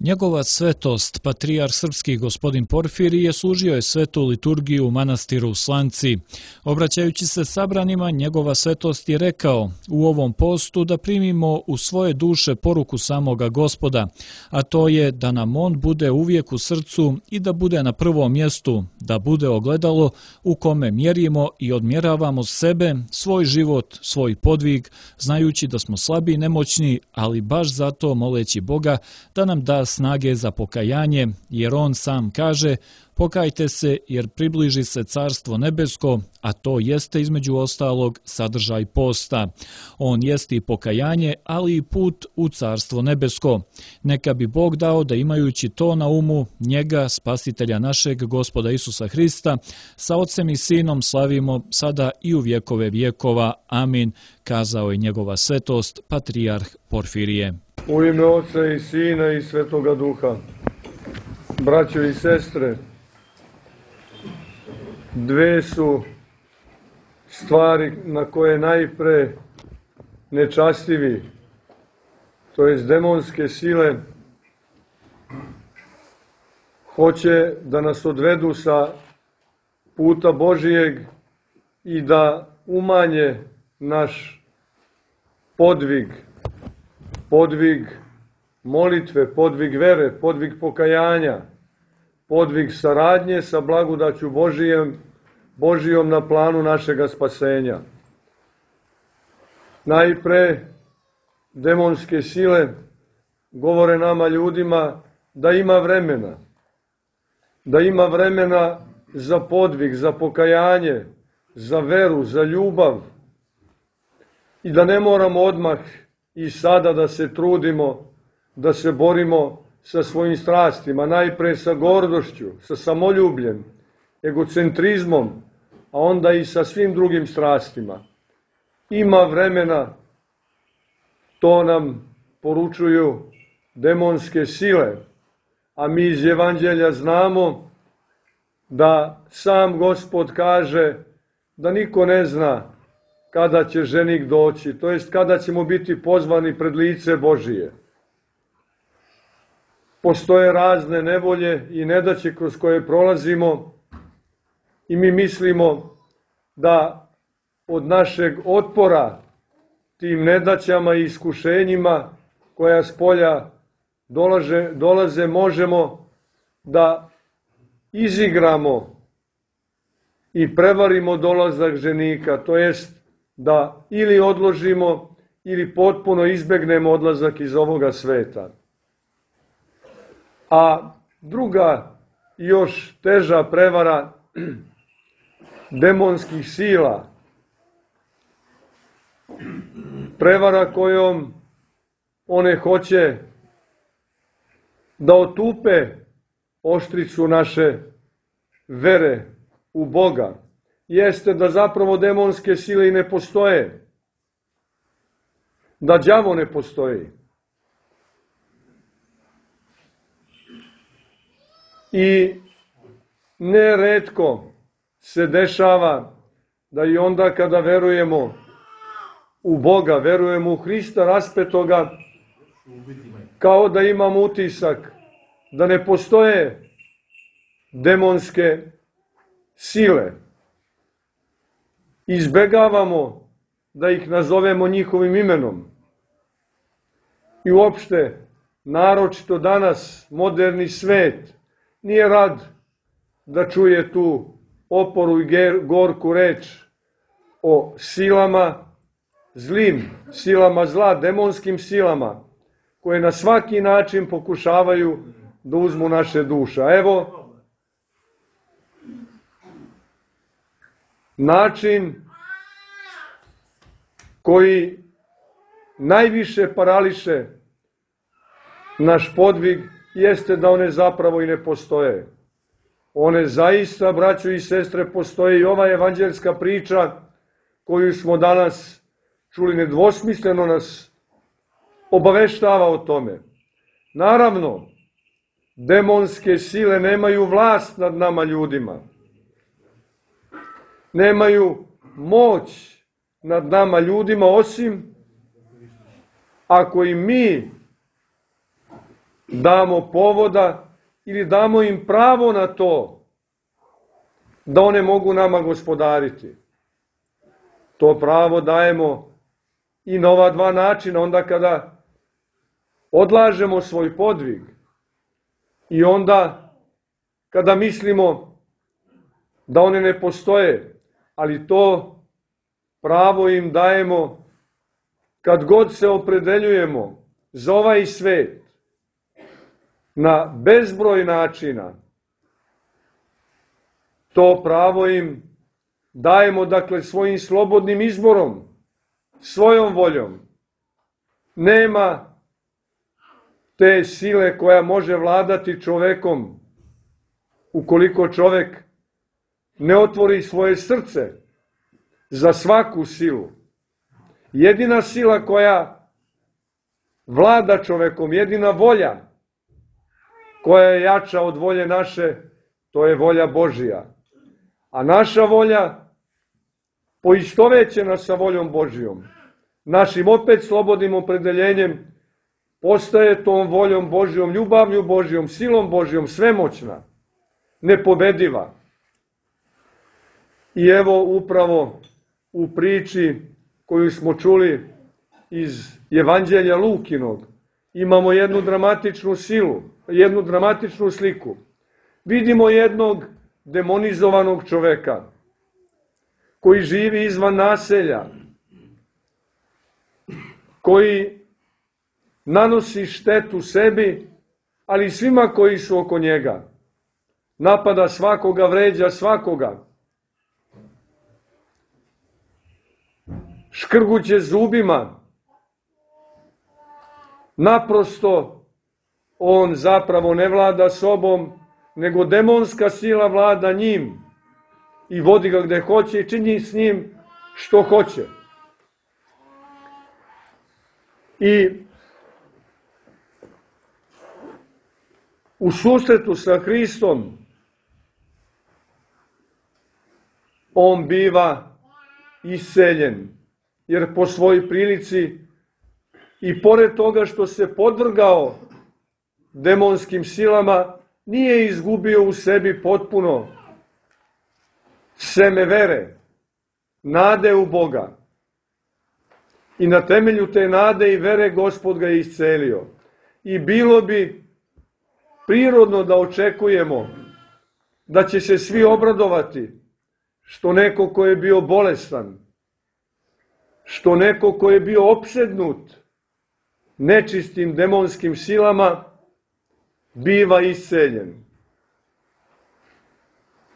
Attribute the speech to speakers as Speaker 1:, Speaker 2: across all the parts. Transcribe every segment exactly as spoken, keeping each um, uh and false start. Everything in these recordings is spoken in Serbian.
Speaker 1: Njegova svetost, patrijarh srpski gospodin Porfirije, služio je svetu liturgiju u manastiru Slanci. Obraćajući se sabranima, njegova svetost je rekao u ovom postu da primimo u svoje duše poruku samoga Gospoda, a to je da nam on bude uvijek u srcu i da bude na prvom mjestu, da bude ogledalo u kome mjerimo i odmjeravamo sebe, svoj život, svoj podvig, znajući da smo slabi i nemoćni, ali baš zato moleći Boga da nam da snage za pokajanje, jer on sam kaže: pokajte se jer približi se carstvo nebesko, a to jeste između ostalog sadržaj posta. On jeste i pokajanje, ali i put u carstvo nebesko. Neka bi Bog dao da imajući to na umu, njega, spasitelja našeg Gospoda Isusa Hrista, sa Otcem i Sinom slavimo sada i u vjekove vjekova. Amin, kazao je njegova svetost, patrijarh Porfirije.
Speaker 2: U ime Otca i Sina i Svetoga Duha, braćo i sestre, dve su stvari na koje najpre nečastivi, to jest demonske sile, hoće da nas odvedu sa puta Božijeg i da umanje naš podvig, podvig molitve, podvig vere, podvig pokajanja, podvig saradnje sa blagodaću Božijem, Božijom na planu našega spasenja. Najpre, demonske sile govore nama ljudima da ima vremena, da ima vremena za podvig, za pokajanje, za veru, za ljubav i da ne moramo odmah i sada da se trudimo, da se borimo sa svojim strastima, najpre sa gordošću, sa samoljubljem, egocentrizmom, a onda i sa svim drugim strastima. Ima vremena, to nam poručuju demonske sile, a mi iz Evanđelja znamo da sam Gospod kaže da niko ne zna kada će ženik doći, to jest kada ćemo biti pozvani pred lice Božije. Postoje razne nevolje i nedaće kroz koje prolazimo i mi mislimo da od našeg otpora tim nedaćama i iskušenjima koja s polja dolaze, dolaze možemo da izigramo i prevarimo dolazak ženika, to jest da ili odložimo ili potpuno izbegnemo odlazak iz ovoga sveta. A druga, još teža prevara demonskih sila, prevara kojom one hoće da otupe oštricu naše vere u Boga, jeste da zapravo demonske sile i ne postoje, da đavo ne postoji. I neretko se dešava da i onda kada verujemo u Boga, verujemo u Hrista raspetoga, kao da imamo utisak da ne postoje demonske sile. Izbegavamo da ih nazovemo njihovim imenom. I uopšte, naročito danas, moderni svet nije rad da čuje tu oporu i gorku reč o silama, zlim silama zla, demonskim silama, koje na svaki način pokušavaju da uzmu naše duše. Evo, način koji najviše parališe naš podvig jeste da one zapravo i ne postoje. One zaista, braćo i sestre, postoje i ova evanđelska priča koju smo danas čuli nedvosmisleno nas obaveštava o tome. Naravno, demonske sile nemaju vlast nad nama ljudima. Nemaju moć nad nama ljudima, osim ako i mi damo povoda ili damo im pravo na to da one mogu nama gospodariti. To pravo dajemo i na ova dva načina, onda kada odlažemo svoj podvig i onda kada mislimo da one ne postoje, ali to pravo im dajemo kad god se opredeljujemo za ovaj svet na bezbroj načina. To pravo im dajemo, dakle, svojim slobodnim izborom, svojom voljom. Nema te sile koja može vladati čovekom ukoliko čovek ne otvori svoje srce za svaku silu. Jedina sila koja vlada čovekom, jedina volja koja je jača od volje naše, to je volja Božija. A naša volja, poistovećena sa voljom Božijom, našim opet slobodnim opredeljenjem, postaje tom voljom Božijom, ljubavlju Božijom, silom Božijom, svemoćna, nepobediva. I evo upravo u priči koju smo čuli iz Evanđelja Lukinog, imamo jednu dramatičnu silu, jednu dramatičnu sliku. Vidimo jednog demonizovanog čoveka koji živi izvan naselja, koji nanosi štetu sebi, ali i svima koji su oko njega. Napada svakoga, vređa svakoga. Škrguće zubima. Naprosto on zapravo ne vlada sobom, nego demonska sila vlada njim i vodi ga gde hoće i čini s njim što hoće. I u susretu sa Hristom on biva isceljen, jer po svojoj prilici i pored toga što se podvrgao demonskim silama, nije izgubio u sebi potpuno seme vere, nade u Boga. I na temelju te nade i vere Gospod ga je iscelio. I bilo bi prirodno da očekujemo da će se svi obradovati što neko ko je bio bolestan, što neko ko je bio opsednut nečistim demonskim silama, biva isceljen.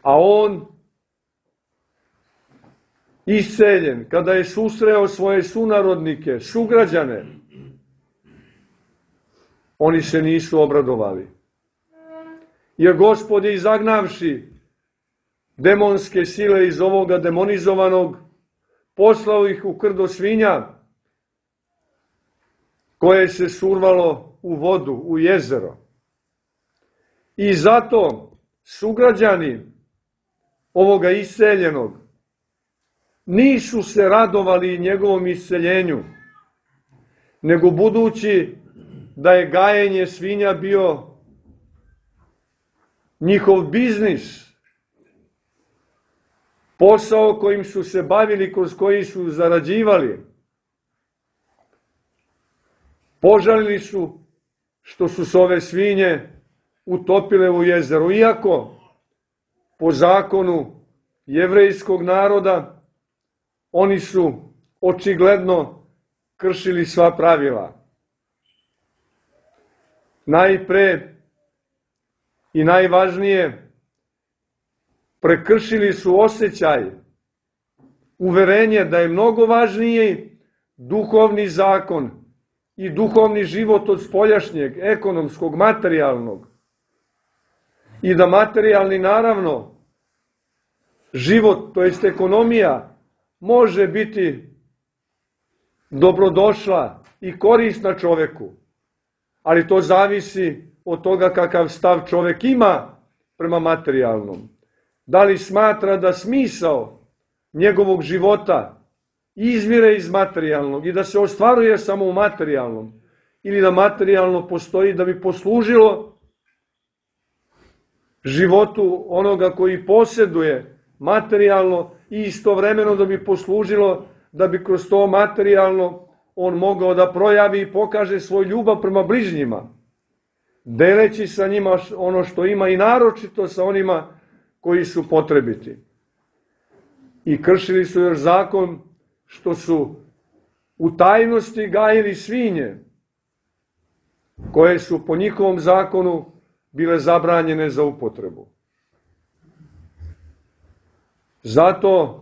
Speaker 2: A on, isceljen, kada je susreo svoje sunarodnike, sugrađane, oni se nisu obradovali. Jer Gospod je, izagnavši demonske sile iz ovoga demonizovanog, poslao ih u krdo svinja, koje se survalo u vodu, u jezero. I zato sugrađani ovoga isceljenog nisu se radovali njegovom isceljenju, nego budući da je gajenje svinja bio njihov biznis, posao kojim su se bavili, kroz koji su zarađivali, požalili su što su se ove svinje utopile u jezero, iako po zakonu jevrejskog naroda oni su očigledno kršili sva pravila. Najpre i najvažnije, prekršili su osjećaj, uverenje da je mnogo važniji duhovni zakon i duhovni život od spoljašnjeg, ekonomskog, materijalnog. I da materijalni, naravno, život, to jest ekonomija, može biti dobrodošla i korisna čoveku, ali to zavisi od toga kakav stav čovek ima prema materijalnom. Da li smatra da smisao njegovog života izvire iz materijalnog i da se ostvaruje samo u materijalnom, ili da materijalno postoji da bi poslužilo životu onoga koji posjeduje materijalno i istovremeno da bi poslužilo da bi kroz to materijalno on mogao da projavi i pokaže svoj ljubav prema bližnjima, deleći sa njima ono što ima i naročito sa onima koji su potrebiti. I kršili su još zakon što su u tajnosti gajili svinje, koje su po njihovom zakonu bile zabranjene za upotrebu. Zato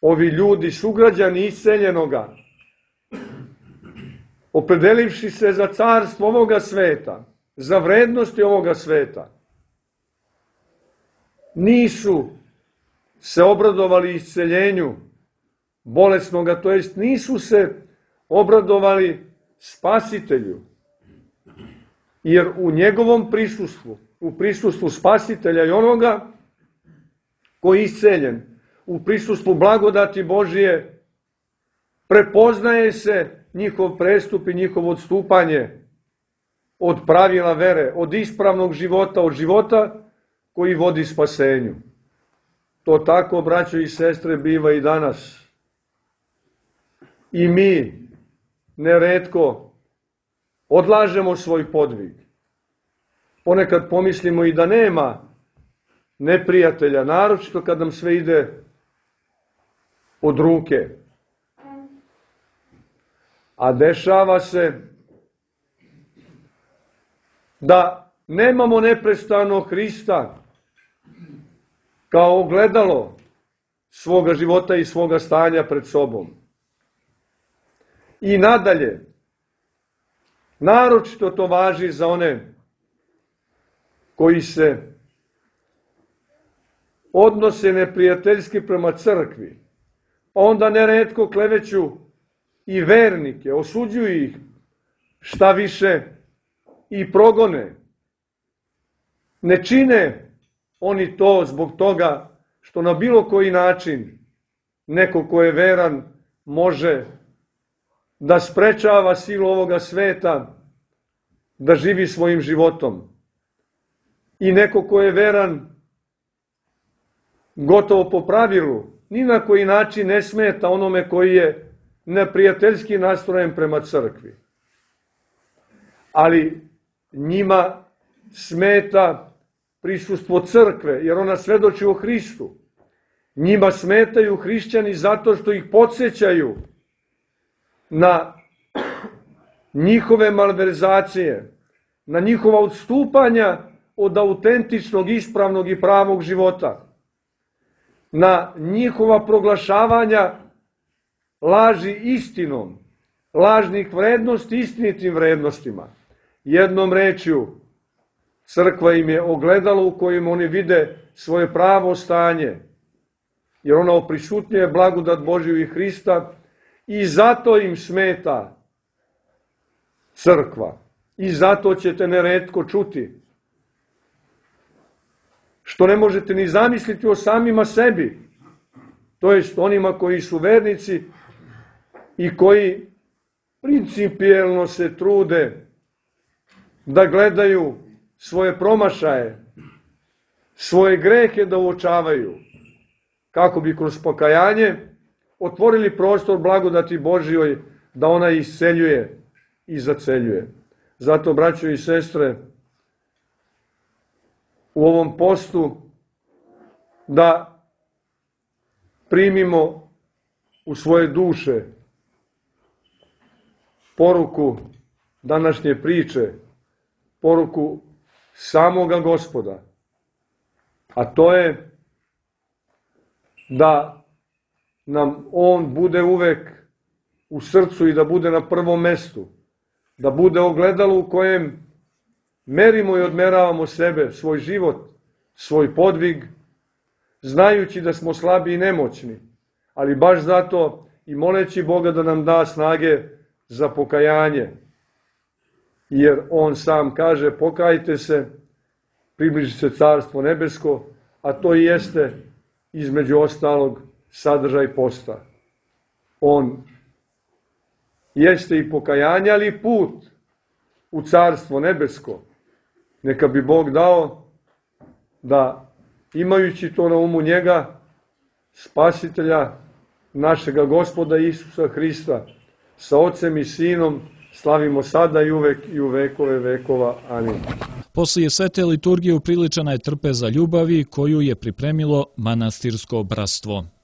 Speaker 2: ovi ljudi, sugrađani isceljenoga, opredelivši se za carstvo ovoga sveta, za vrednosti ovoga sveta, nisu se obradovali isceljenju bolesnoga, to jest nisu se obradovali Spasitelju, jer u njegovom prisustvu, u prisustvu Spasitelja i onoga koji je isceljen, u prisustvu blagodati Božije, prepoznaje se njihov prestup i njihovo odstupanje od pravila vere, od ispravnog života, od života koji vodi spasenju. To tako, braćo i sestre, biva i danas. I mi neretko odlažemo svoj podvig. Ponekad pomislimo i da nema neprijatelja, naročito kad nam sve ide od ruke. A dešava se da nemamo neprestano Hrista kao ogledalo svoga života i svoga stanja pred sobom. I nadalje, naročito to važi za one koji se odnose neprijateljski prema crkvi, pa onda neretko kleveću i vernike, osuđuju ih, šta više i progone. Ne čine oni to zbog toga što na bilo koji način neko ko je veran može da sprečava silu ovoga sveta da živi svojim životom. I neko ko je veran gotovo po pravilu, ni na koji način ne smeta onome koji je neprijateljski nastrojen prema crkvi. Ali njima smeta prisustvo crkve, jer ona svedoči o Hristu. Njima smetaju hrišćani zato što ih podsjećaju na njihove malverzacije, na njihova odstupanja od autentičnog, ispravnog i pravog života, na njihova proglašavanja laži istinom, lažnih vrednosti istinitim vrednostima. Jednom rečju, crkva im je ogledalo u kojem oni vide svoje pravo stanje, jer ona oprisutnjuje blagodat Božiju i Hrista i zato im smeta crkva. I zato ćete neretko čuti, što ne možete ni zamisliti o samima sebi, to jest onima koji su vernici i koji principijelno se trude da gledaju svoje promašaje, svoje grehe da uočavaju, kako bi kroz pokajanje otvorili prostor blagodati Božjoj da ona isceljuje i zaceljuje. Zato, braćo i sestre, u ovom postu da primimo u svoje duše poruku današnje priče, poruku samoga Gospoda, a to je da nam on bude uvek u srcu i da bude na prvom mestu, da bude ogledalo u kojem merimo i odmeravamo sebe, svoj život, svoj podvig, znajući da smo slabi i nemoćni, ali baš zato i moleći Boga da nam da snage za pokajanje. Jer on sam kaže, pokajte se, približi se carstvo nebesko, a to i jeste između ostalog sadržaj posta. On jeste i pokajanje, ali i put u Carstvo nebesko. Neka bi Bog dao da, imajući to na umu njega, Spasitelja, našega Gospoda Isusa Hrista, sa Ocem i Sinom, slavimo sada i uvek i u vekove vekova. Amin.
Speaker 1: Poslije svete liturgije upriličena je trpeza ljubavi koju je pripremilo manastirsko bratstvo.